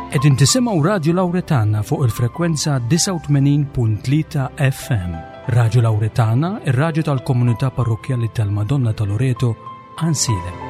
Qegħdin tisimgħu Radju Lawretana fuq il-frekwenza 89.3 FM. Radju Lawretana, ir-radju tal-komunità parrokkjali tal-Madonna ta' Loreto, Għansielem.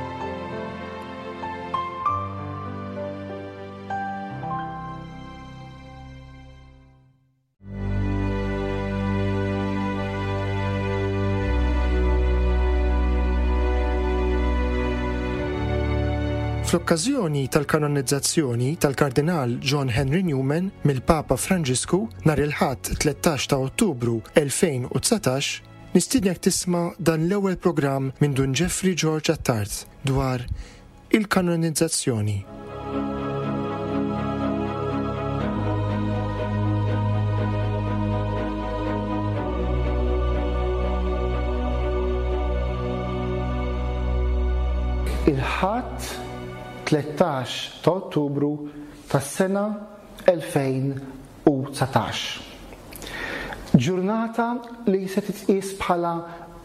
Fl-okkażjoni tal-kanonizzazzjoni tal-Kardinal John Henry Newman mill-Papa Franġisku nhar il-Ħadd 13 ta' Ottubru 2019, nistiednek tisma' dan l-ewwel programm minn Dun Jeffrey George Attard dwar Il-kanonizzazzjoni. Il-Ħadd 13 ta' Ottubru tas-sena 2019. Ġurnata li se titqies bħala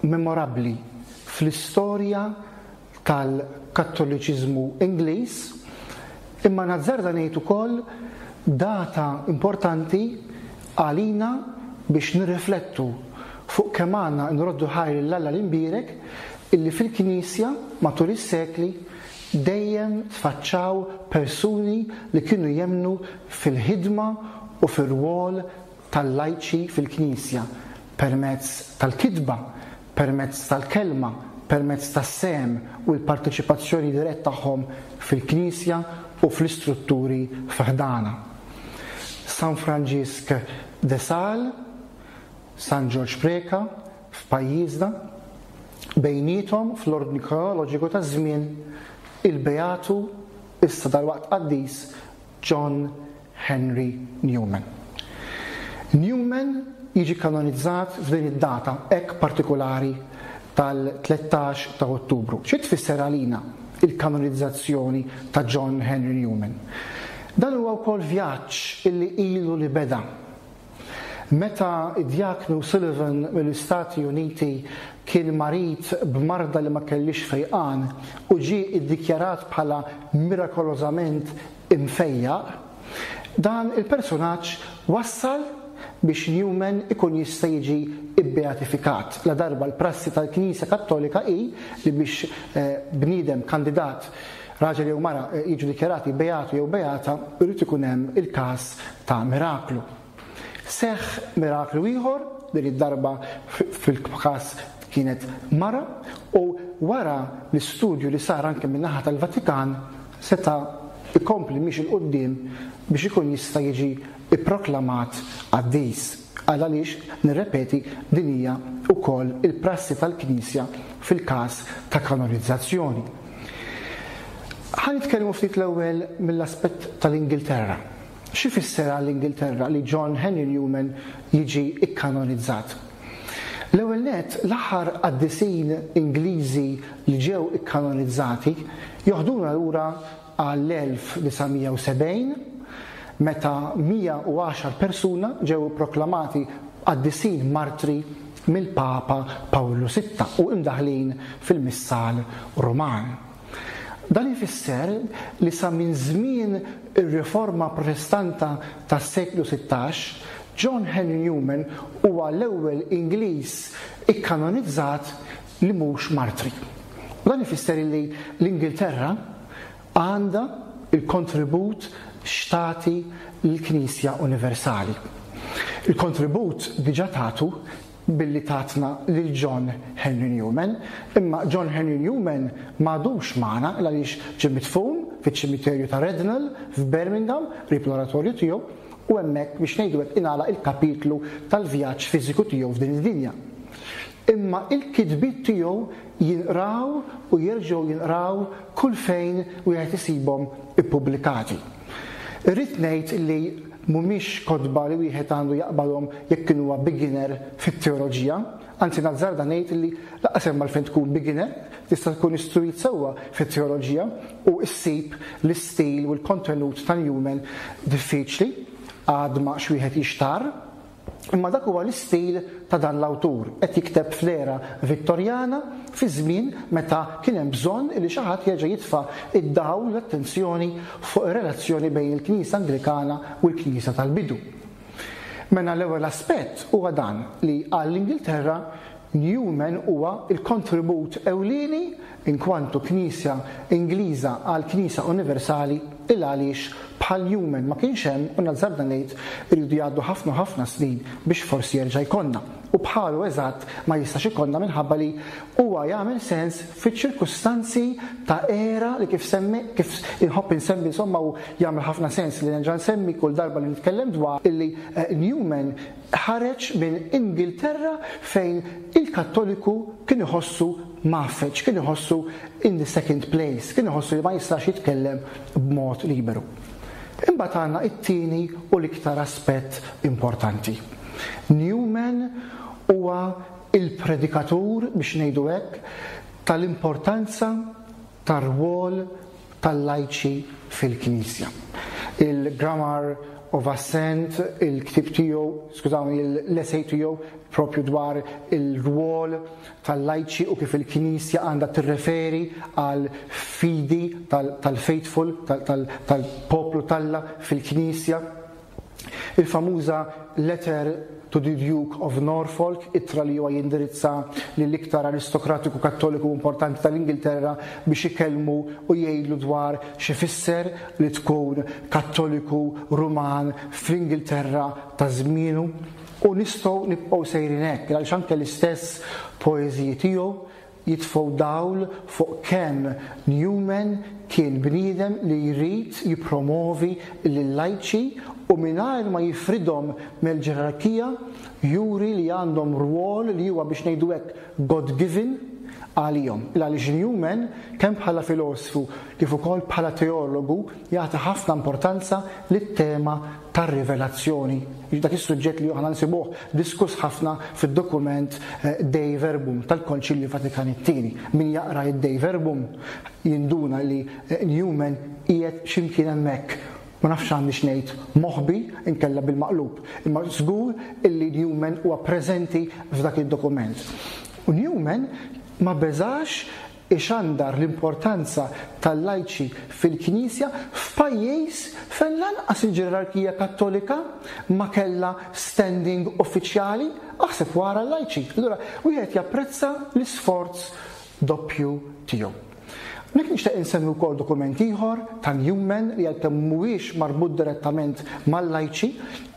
memorabbli fl-istorja tal-Kattoliċiżmu Ingliż, imma nazzarda ngħid ukoll data importanti għalina biex nirriflettu fuq kemm għandna nroddu ħajr lil Alla l-Imbierek illi fil-Knisja matul is-sekli dejjem tfaċċaw persuni li kienu jemmnu fil-ħidma u fir-rwol tal-lajċi fil-Knisja permezz tal-kitba, permezz tal-kelma, permezz tas-sehem u l-parteċipazzjoni dirett tagħhom fil-Knisja u fl-istrutturi fi ħdanha. San Franġisk de Sales, San Ġorġ Preca f'pajjiżna, bejniethom fl-ordni kronoloġiku taż-żmien, il-Beatu, issa dalwaqt qaddis, John Henry Newman. Newman jiġi kanonizzat f'din id-data hekk partikulari tal-13 ta' Ottubru. Xi tfisser għalina il-kanonizzazzjoni ta' John Henry Newman? Dan huwa wkoll vjaġġ illi ilu li beda. Meta d-djaknu Sullivan mill-Istati Uniti kien marid b'marda li ma kellhiex fejqan u ġie ddikjarat bħala mirakolożament imfejjaq, dan il-persunaġġ wassal biex Newman ikun jista' jiġi bbeatifikat, ladarba l-prassi tal-Knisja Kattolika hi li biex bniedem kandidat, raġel jew mara, jiġu dikjarati beatu jew beata, irid ikun hemm il-każ ta' miraklu. Seħħ miraklu ieħor, din id-darba fil-każ kienet mara, u wara l-istudju li sar anke min-naħa tal-Vatikan, seta' jkompli miexi 'l quddiem biex ikun jista' jiġi pproklamat qaddis. Għal għaliex, nirrepeti, din hija wkoll il-prassi tal-Knisja fil-każ ta' kanonizzazzjoni. Ħa nitkellmu ftit l-ewwel mill-aspett tal-Ingilterra. X'ifisser għall-Ingilterra li John Henry Newman jiġi kkanonizzat? L-ewwel nett, l-aħħar qaddisin Ingliżi li ġew ikkanonizzati joħduna lura għall-1970, meta 110 persuna ġew ipproklamati qaddisin martri mill-Papa Pawlu Sitta u imdaħħlin fil-Missal Ruman. Dan ifisser li sa minn żmien ir-Riforma Protestanta tas-seklu 16, John Henry Newman huwa l-ewwel Ingliż ikkanonizzat li mhux martri. U dan ifisser li l-Ingilterra għandha l-kontribut x'tagħti lill-Knisja Universali. Il-kontribut diġà tagħtu billi tatna lil John Henry Newman, imma John Henry Newman m'għadux magħna għaliex ġie midfun fiċ-ċimiterju ta' Rednal f'Birmingham, qrib l-oratorju tiegħu, u hemmhekk biex ngħidu hekk ingħalaq il-kapitlu tal-vjaġġ fiżiku tiegħu f'din id-dinja. Imma il-kitbiet tiegħu jinqraw u jerġgħu jinqraw kull fejn wieħed isibhom ippubblikati. Irrid ngħid li mhumiex kotba li wieħed għandu jaqbadhom jekk kien huwa beginner fit-teoloġija, anzi nazzarda ngħid li lanqas hemm għalfejn tkun beginner, tista' tkun istruit sewwa fit-teoloġija u ssib l-istil u l-kontenut ta' Newman diffiċli, għadma x'wieħed jixtarr. Imma dak huwa l-istil ta' dan l-awtur, qed jikteb fl-era Vittorjana, fi żmien meta kien hemm bżonn li xi ħadd jerġa' jitfa' d-dawl, l-attenzjoni fuq ir-relazzjoni bejn il-Knisja Anglikana u l-Knisja tal-bidu. Mela l-ewwel aspett huwa dan li għall-Ingilterra Newman huwa l-kontribut ewlieni inkwantu Knisja Ingliża għall-Knisja Universali il għaliex bħal Newman ma kienx hemm u nazzarda ngħid iridu jgħaddu ħafna u ħafna snin biex forsi jerġa' jkollna u bħalu eżatt ma jistax ikollna minħabba li huwa jagħmel sens fiċ-ċirkustanzi ta' era li kif semmi kif inħobb insemmi insomma u jagħmel ħafna sens li nerġa' nsemmi kull darba li nitkellem dwar illi Newman Ħareġ minn Ingilterra fejn il-Kattoliku kien iħossu mgħaffeġ, kien iħossu in the second place, kien iħossu li ma jistax jitkellem b'mod liberu. Imbagħad għandna t-tieni u l-iktar aspett importanti. Newman huwa il-predikatur, biex ngħidu hekk, tal-importanza tar-rwol tal-lajċi fil-Knisja. Il-Grammar of Assent, il-ktieb tiegħu, skużawni, l-essay tiegħu propju dwar il-rwol tal-lajċi u kif il-Knisja għandha tirreferi għal fidi tal-faithful, tal-poplu t'Alla fil-Knisja. Il-famuża Letter to the Duke of Norfolk, ittra li huwa jindirizza lill-iktar aristokratiku Kattoliku importanti tal-Ingilterra biex ikellmu u jgħidlu dwar x'ifisser li tkun Kattoliku Ruman fl-Ingilterra ta' żmienu. U nistgħu nibqgħu sejrin hekk, għaliex anke l-istess poeżiji tiegħu jitfgħu dawl fuq kemm Newman kien bniedem li jrid jippromovi lil-lajċi u mingħajr ma jifridhom mill-ġerarkija juri li għandhom rwol li huwa biex ngħidu hekk God given għalihom. Il għaliex Newman kemm bħala filosfu kif ukoll bħala teologu jagħti ħafna importanza lit-tema tar-rivelazzjoni, dak is-suġġett li aħna nsibuh diskuss ħafna fid-dokument Dei Verbum tal-Konċilju Vatikan it-Tieni. Min jaqra id-Dei Verbum jinduna li Newman qiegħed xi mkien hemmhekk, ma nafx għandix ngħid moħbi inkella bil-maqlub, imma żgur illi Newman huwa preżenti f'dak id-dokument. U Newman ma beżax ixandar l-importanza tal-lajċi fil-Knisja f'pajjiż fejn lanqas il-ġerarkija Kattolika ma kellha standing uffiċjali, aħseb u ara l-lajċi. Allura wieħed japprezza l-isforz doppju tiegħu. Hawnhekk nixtieq insemmi wkoll dokument ieħor ta' Newman li għalkemm mhuwiex marbut direttament mal-lajċi,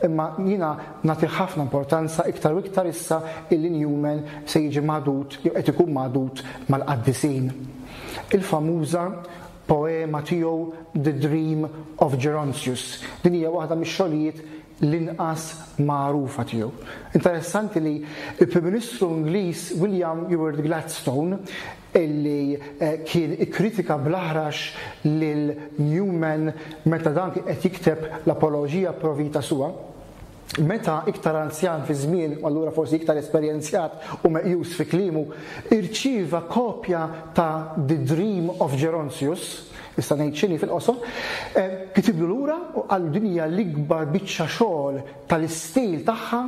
imma jiena nagħtih ħafna importanza iktar u iktar issa illi Newman se jiġi magħdud jew qed ikun magħdud mal-qaddisin. Il-famuża poema tiegħu The Dream of Gerontius. Din hija waħda mix-xogħlijiet l-inqas magħrufa tiegħu. Interessanti li l-Prim Ministru Ingliż William Ewart Gladstone illi eh, kien ikkritika bl-aħrax lil Newman meta dan kien qed jikteb l-Apoloġija Pro Vita Sua, Meta iktar anzjan fiż-żmien, u allura forsi iktar esperjenzjat u meqjus fi kliemu, irċieva kopja ta' The Dream of Gerontius, issa ngħid x'inhi fil-qosor, kitiblu lura u qallu din hija l-ikbar biċċa xogħol tal-istil tagħha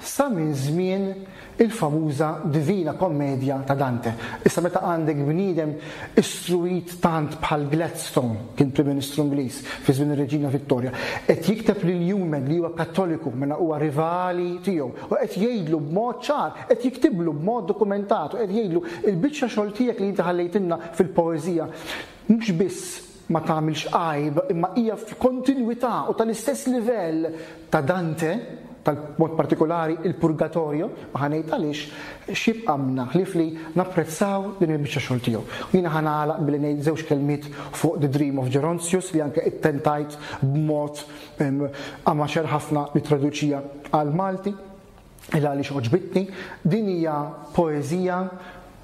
sa minn żmien il-famuża Divina Commedia ta' Dante. Issa meta għandek bniedem istruit tant bħal Gladstone, kien Prim Ministru Ingliż fi żmien ir-Reġina Vittoria, qed jikteb lil Newman li huwa Kattoliku, mela huwa rivali tiegħu, u qed jgħidlu b'mod ċar, qed jiktiblu b'mod dokumentat u qed jgħidlu il-biċċa xogħol tiegħek li inti ħallejtilna fil-poeżija mhux biss ma tagħmilx għajb imma hija f'kontinwità u tal-istess livell ta' Dante, tal-mod partikolari il-Purgatorio, u ħa ngħid għaliex, x'jibqa' minna ħlief li napprezzaw din il-biċċa xogħol tiegħu. U jiena ħa nagħlaq billi ngħid żewġ kelmiet fuq The Dream of Gerontius li anke ittentajt b'mod amateur ħafna nittraduċija għall-Malti. Il għaliex għoġbitni, din hija poeżija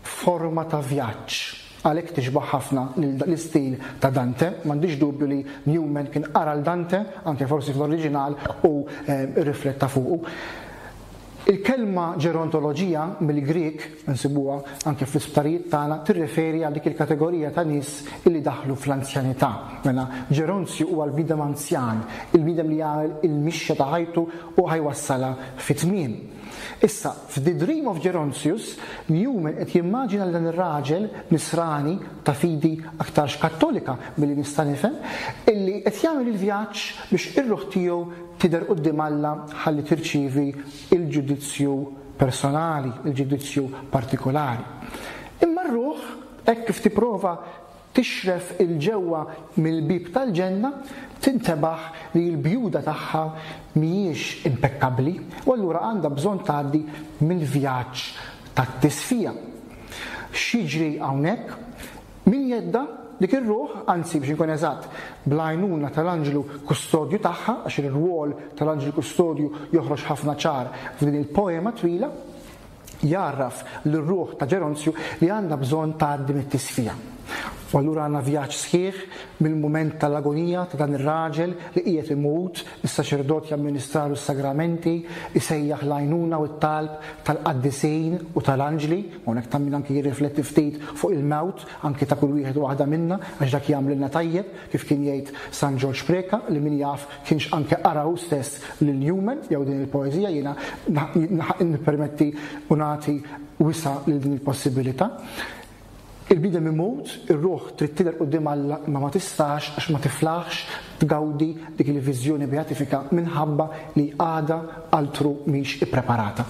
f'forma ta' vjaġġ. Għalhekk tixbah ħafna l-istil ta' Dante. M'għandix dubju li Newman kien qara l Dante, anke forsi fl-oriġinal, u rrifletta fuqu. Il-kelma ġerontoloġija mill-Grieg, nsibuha anke fl-isptarijiet tagħna, tirreferi għal dik il-kategorija ta' nies illi daħlu fl-anzjanità. Mela, Ġeronzju huwa l-bniedem anzjan, il-bniedem li jagħmel il-mixja ta' ħajtu u ħa jwassalha fit-tmiem. Issa, f'The Dream of Gerontius, Newman qed jimmaġina lil dan ir-raġel Nisrani ta' fidi aktarx Kattolika milli nista' nifhem, illi qed jagħmel il-vjaġġ biex ir-ruħ tiegħu tidher quddiem Alla ħalli tirċievi l-ġudizzju personali, il-ġudizzju partikolari. Imma r-ruħ, hekk kif tipprova tixref 'il ġewwa mill-bieb tal-ġenna, tintebaħ li l-bjuda tagħha mhijiex impekkabbli u allura għandha bżonn tgħaddi mill-vjaġġ tat-tisfija. X'jiġri hawnhekk? Min jeddha dik ir-ruħ, anzi biex inkun eżatt, bl-għajnuna tal-anġlu kustodju tagħha, għax ir-rwol tal-anġlu kustodju joħroġ ħafna ċar f'din il-poema twila, jgħarraf lir-ruħ ta' Ġeronzju li għandha bżonn tgħaddi mit-tisfija. U allura għandna vjaġġ sħiħ mill-mument tal-agonija ta' dan ir-raġel li qiegħed imut, is-saċerdot jamministralu s-sagramenti, isejjaħ l-għajnuna u t-talb tal-qaddisin u tal-anġli, hawnhekk ta' min anki jirrifletti ftit fuq il-mewt anki ta' kull wieħed u waħda minna għax dak jagħmlilna tajjeb, kif kien jgħid San Ġorġ Preca li min jaf kienx anke qara hu stess lil Newman jew din il-poeżija, jiena nippermetti u nagħti wisa' lil din il-possibilità. Il-bniedem imut, ir-ruħ trid tidher quddiem Alla imma ma tistax għax ma tiflaħx tgawdi dik il-viżjoni beatifika minħabba li għadha altru mhix ippreparata.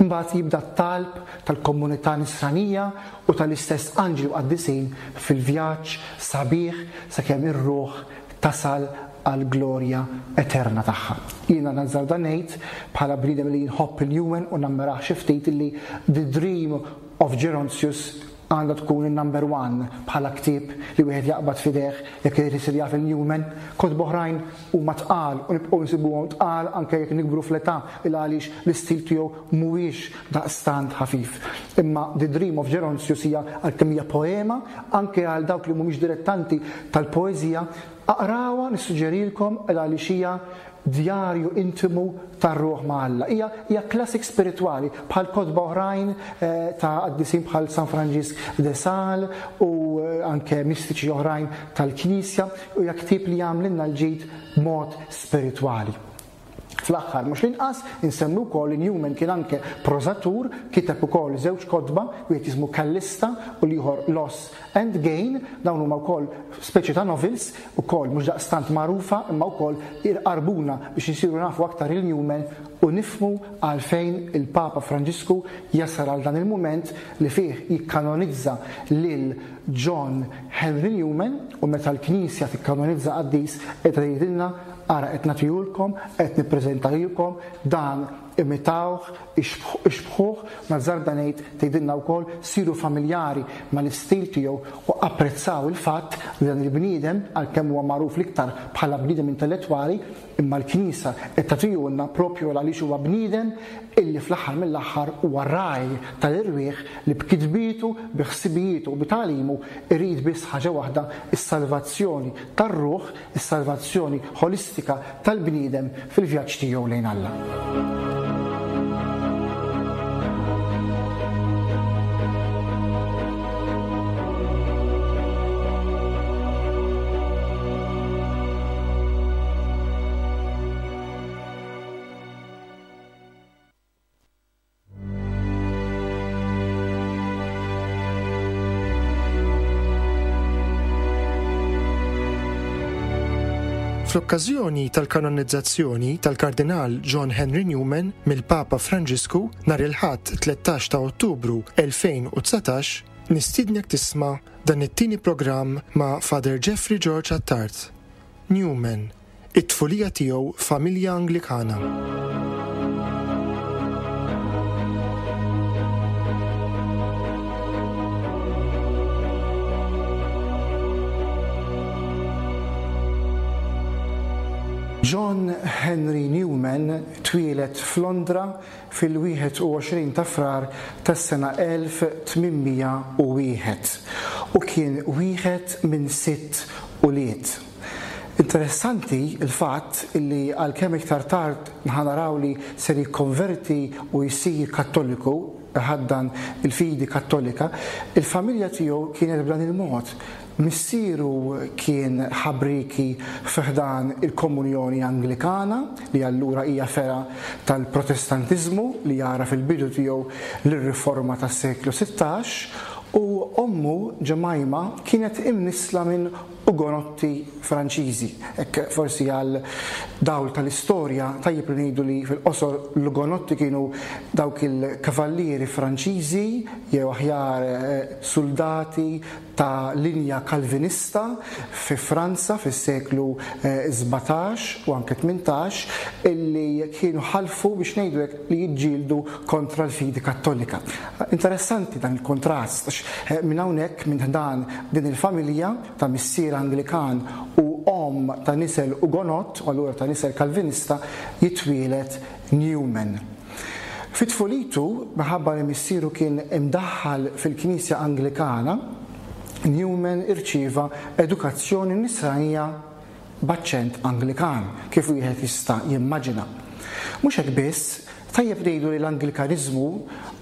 Imbagħad jibda t-talb tal-komunità nisranija u tal-istess anġli u qaddisin fil-vjaġġ sabiħ sakemm ir-ruħ tasal għall-glorja eterna tagħha. Jiena nazzarda ngħid, bħala bniedem li nħobb il-Newman u nammirah xi ftit, illi The Dream of Gerontius għandha tkun in-number one bħala ktieb li wieħed jaqbad f'idejh jekk irid isir jaf il-Newman. Kotba oħrajn huma tqal u nibqgħu nsibuhom tqal anke jekk nikbru fl-età il għaliex l-istil tiegħu mhuwiex daqstant ħafif. Imma The Dream of Gerontius hija għalkemm hija poema anke għal dawk li mhumiex dilettanti tal-poeżija, Aqrawha, nissuġġerilkom, għaliex hija djarju intimu tar-ruħ ma' Alla. Hija hija classic spiritwali bħal kotba oħrajn ta' qaddisin bħal San Franġisk de Sales u anke mistiċi oħrajn tal-Knisja u hija ktieb li jagħmlilna l-ġid b'mod spiritwali. Fl-aħħar mhux l-inqas, insemmi wkoll li Newman kien anke prożatur, kiteb ukoll żewġ kotba, wieħed jismu Callista u l-ieħor Loss and Gain, dawn huma wkoll speċi ta' novels, ukoll mhux daqstant magħrufa imma wkoll irqarbuna biex insiru nafu aktar lil Newman u nifhmu għalfejn il-Papa Franġisku jasal għal dan il-mument li fih jikkanonizza lil John Henry Newman u meta l-Knisja tikkanonizza qaddis qiegħda tgħidilna Ara qed nagħtihulkom, qed nippreżentahilkom, dan imitawh, ixbħuh, nazzarda ngħid tgħidilna wkoll siru familjari mal-istil tiegħu u apprezzaw il-fatt li dan il-bniedem, għalkemm huwa magħruf l-iktar bħala bniedem intellettwali, imma l-Knisja qed tagħtihulna propju għaliex huwa bniedem illi fl-aħħar mill-aħħar huwa ragħaj tal-irwieħ li b'kitbietu, bi ħsibijietu u bi tagħlimu irid biss ħaġa waħda, is-salvazzjoni tar-ruħ is-salvazzjoni ħolistika tal-bniedem fil-vjaġġ tiegħu lejn Alla. Fl-okkażjoni tal-kanonizzazzjoni tal-Kardinal John Henry Newman mill-Papa Franġisku nhar il-Ħadd 13 ta' Ottubru 2019, nistiednek tisma' dan it-tieni programm ma' Father Jeffrey George Attard. Newman, It-tfulija tiegħu f'familja Anglikana. John Henry Newman twieled f'Londra fil-21 ta' Frar tas-sena 1801 u kien wieħed minn sitt ulied. Interessanti l-fatt li għalkemm iktar tard ħa naraw li ser jikkonverti u jsir Kattoliku, iħaddan il-fidi Kattolika, il-familja tiegħu kienet b'dan il-mod. Missieru kien ħabrieki fi ħdan il-Komunjoni Anglikana, li allura hija fergħa tal-Protestantiżmu li jara fil-bidu tiegħu lir-Riforma tas-seklu 16, u ommu, Jemima, kienet imnissla minn Ugonotti Franċiżi. Hekk forsi għal dawl tal-istorja tajjeb li ngħidu li fil-qosor l-Ugonotti kienu dawk il-kavallieri Franċiżi jew aħjar suldati ta' linja Kalvinista fi Franza fis-seklu 17 u anke 18 illi kienu ħalfu biex ngħidu hekk li jiġġieldu kontra l-fidi Kattolika. Interessanti dan il-kontrast għax minn hawnhekk minn ħdan din il-familja ta' missier Anglikan u omm ta' nisel Ugonott u allura ta' nisel Kalvinista jitwieled Newman. Fi tfulitu, minħabba li missieru kien imdaħħal fil-Knisja Anglikana, Newman irċieva edukazzjoni Nisranija b'aċċent Anglikan, kif wieħed jista' jimmaġina. Mhux hekk biss, tajjeb ngħidu li l-Anglikaniżmu,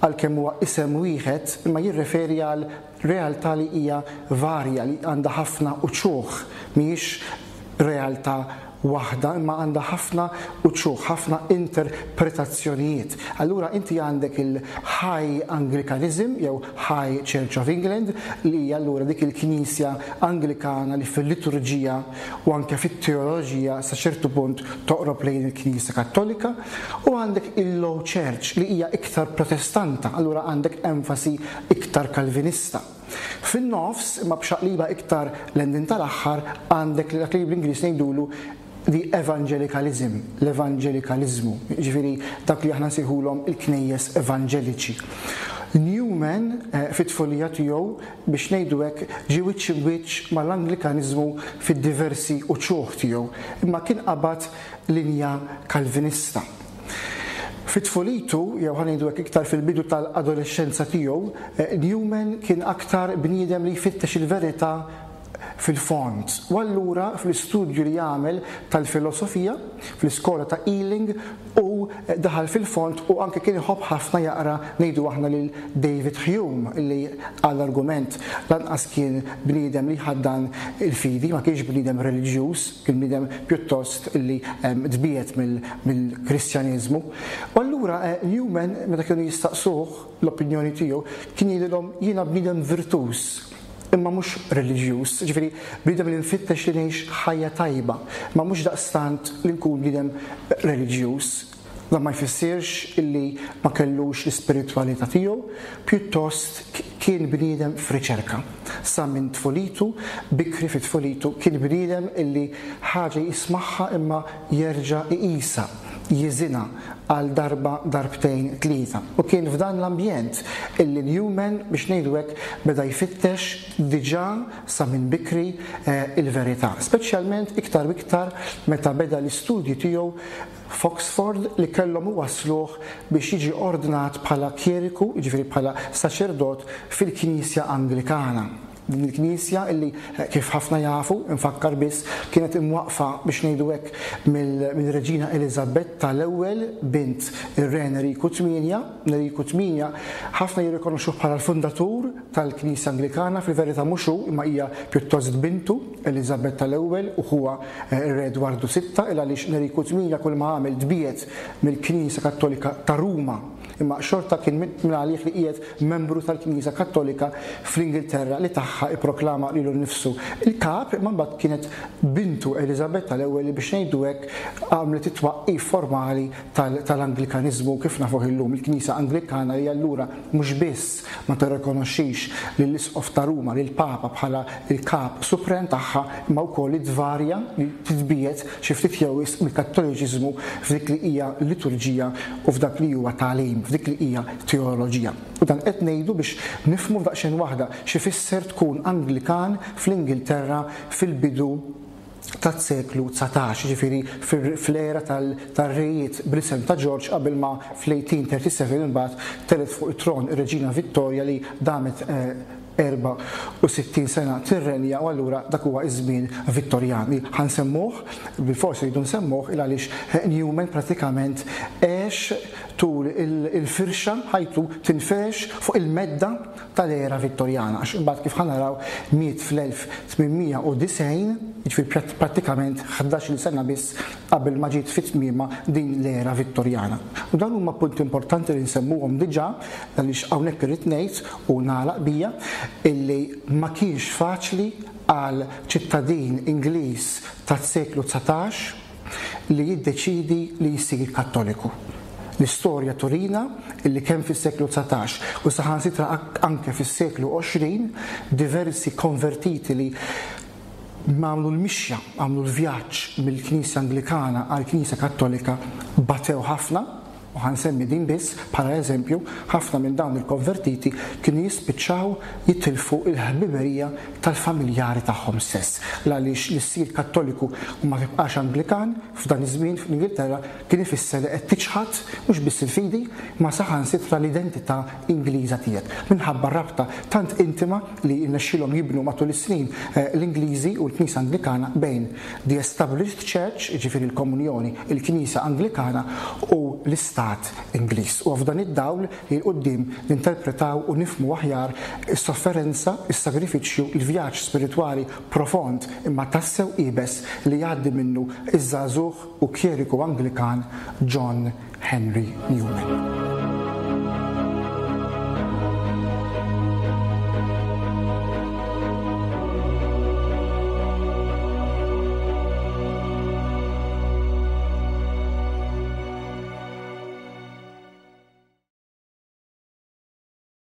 għalkemm huwa isem wieħed, imma jirreferi għal realtà li hija varja, li għandha ħafna uċuħ, mhijiex realtà waħda imma għandha ħafna uċuħ, ħafna interpretazzjonijiet. Allura inti għandek il-High Anglicanism jew High Church of England li hija allura dik il-knisja Anglikana li fil-liturġija u anke fit-teoloġija sa ċertu punt toqrob lejn il-Knisja Kattolika u għandek il-Low Church li hija iktar Protestanta, allura għandek enfasi iktar Kalvinista. Fin-nofs, imma b'xaqliba iktar lejn din tal-aħħar, għandek dak li bl-Ingliż ngħidulu the evangelicalism, l-evanġelikaliżmu, jiġifieri dak li aħna nsejħulhom il-knejjes evanġeliċi. Newman eh, fit-tfulija tiegħu biex ngħidu hekk ġie wiċċ imwiċċ mal-Anglikaniżmu fid-diversi uċuħ tiegħu, imma kien qabad linja Kalvinista. Fi tfulitu, jew ħa ngħidu hekk iktar fil-bidu tal-adolexxenza tiegħu, Newman kien aktar bniedem li jfittex il-verità fil-fond. U allura fl-istudju li għamel tal-filosofija fl-iskola ta' Ealing u daħal fil-fond u anke kien iħobb ħafna jaqra ngħidu aħna lil David Hume li għall-argument lanqas kien bniedem li jħaddan il-fidi, ma kienx bniedem reliġjuż. Kien bniedem pjuttost li tbiegħed mill-Kristjaneżmu. U allura Newman meta kienu jistaqsuh l-opinjoni tiegħu kien jgħidilhom jiena bniedem virtuż imma mhux reliġjuż, jiġifieri bniedem li nfittex li ngħix ħajja tajba, imma mhux daqstant li nkun bniedem reliġjuż. Dan ma jfissirx illi ma kellux l-ispiritwalità tiegħu, pjuttost kien bniedem f'riċerka. Sa minn tfulitu, bikri fi tfulitu, kien bniedem illi ħaġa jismagħha imma jerġa' iqisha, jiżinha għal darba, darbtejn, tlieta. U kien f'dan l-ambjent illi Newman, biex ngħidu hekk, beda jfittex diġà sa minn bikri il-verità. Speċjalment iktar u iktar meta beda l-istudji tiegħu f'Oxford li kellhom iwassluh biex jiġi ordnat bħala kjeriku, jiġifieri bħala saċerdot fil-Knisja Anglikana. Din il-knisja illi, kif ħafna jafu, infakkar biss, kienet imwaqqfa biex ngħidu hekk mill-Reġina Eliżabetta l-ewwel, bint ir-Re Enriku Tmienja. Enriku Tmienja ħafna jirrikonoxxuh bħala l-fundatur tal-Knisja Anglikana, fil-verità mhux hu imma hija pjuttost bintu, Eliżabetta l-ewwel u ħuha ir-Re Edwardu Sitta, il għaliex Enriku Tmienja kull ma għamel tbiegħed mill-Knisja Kattolika ta' Ruma, imma xorta kien minn għalih li qiegħed membru tal-Knisja Kattolika fl-Ingilterra li tagħha ipproklama lilu nnifsu il-kap, imma mbagħad kienet bintu Eliżabetta l-ewwel li biex ngħidu hekk għamlet it-twaqqif formali tal-Anglikaniżmu kif nafuh illum, il-Knisja Anglikana li allura mhux biss ma tirrikonoxxix lill-Isqof ta' Ruma, lill-Papa bħala l-kap suprem tagħha, imma wkoll li tvarja, li titbiegħed xi ftit jew wisq mill-Kattoliċiżmu f'dik li hija liturġija u f'dak li huwa tagħlim, f'dik li hija teoloġija. U dan qed ngħidu biex nifhmu f'daqsxejn waħda x'ifisser tkun Anglikan fl-Ingilterra fil-bidu tas-seklu 19, jiġifieri fl-era tar-rejiet bl-isem ta' Ġorġ qabel ma fl-1837 imbagħad telgħet fuq it-tron ir-Reġina Vittorja li damet eh, 64 sena tirrenja u allura dak huwa iż-żmien Vittorjan li ħa nsemmuh, bilfors irridu nsemmuh il għaliex Newman pratikament għex tul il-firxa ħajtu tinfirex fuq il-medda tal-era Vittorjana għax imbagħad kif ħa naraw miet fl-1890, jiġifieri prattikament ħdax-il sena biss qabel ma ġiet fi tmiemha din l-era Vittorjana. U dawn huma punti importanti li nsemmuhom diġà għaliex hawnhekk irrid ngħid u nagħlaq bija illi ma kienx faċli għal ċittadin Ingliż tas-seklu 19 li jiddeċiedi li jsir Kattoliku. L-istorja turina illi kemm fis-seklu 19 u saħansitra anke fis-seklu 20 diversi konvertiti li għamlu l-mixja, għamlu l-vjaġġ mill-Knisja Anglikana għall-Knisja Kattolika batew ħafna, u ħa nsemmi din biss bħala eżempju, ħafna minn dawn il-konvertiti kienu jispiċċaw jitilfu l-ħbiberija tal-familjari tagħhom stess. L-għaliex li ssir Kattoliku u ma tibqax Anglikan f'dan iż-żmien fl-Ingilterra kien ifisser li qed tiċħad mhux biss il-fidi, imma saħansitra l-identità Ingliża tiegħek, minħabba r-rabta tant intima li rnexxielhom jibnu matul is-snin l-Ingliżi u l-Knisja Anglikana bejn the established church, jiġifieri l-komunjoni, il-Knisja Anglikana, u l-Istat Ingliż. Huwa f'dan id-dawl li 'l quddiem ninterpretaw u nifhmu aħjar is-sofferenza, is-sagrifiċċju, il-vjaġġ spiritwali profond imma tassew iebes li jgħaddi minnu ż-żagħżugħ u kjeriku Anglikan John Henry Newman.